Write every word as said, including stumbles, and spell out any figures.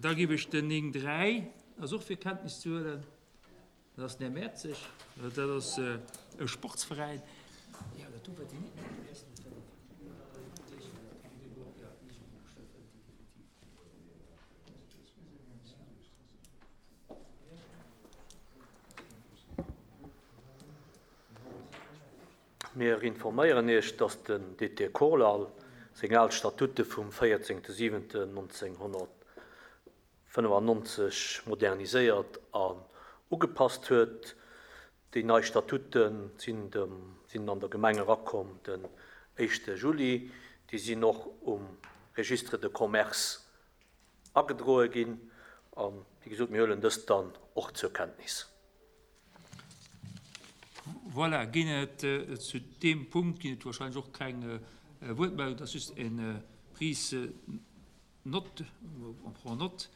Da giff ech den néng dräi ass och fir Kenntnis ze huelen. Dat ass den Här Mertzig, dat ass e Sportsveräin. Mir informéieren Iech, dass den D T Korlal seng al Statute vum véierzéngte siwenten neunzehnhundertfünfundneunzig moderniséiert an ugepasst huet. Déi nei Statute sinn dem, sinn an der Gemeng erakomm den éischte Juli. Déi sinn och um Registre de Commerce agedroe ginn. An, wéi gesot, mir huelen dëst dann och zur Kenntnis. Voilà, ginn et, äh, zu deem Punkt ginn et wahrscheinlich och keng, äh, Wuertmeldung, das ist eng, äh, Prise note, on prend note.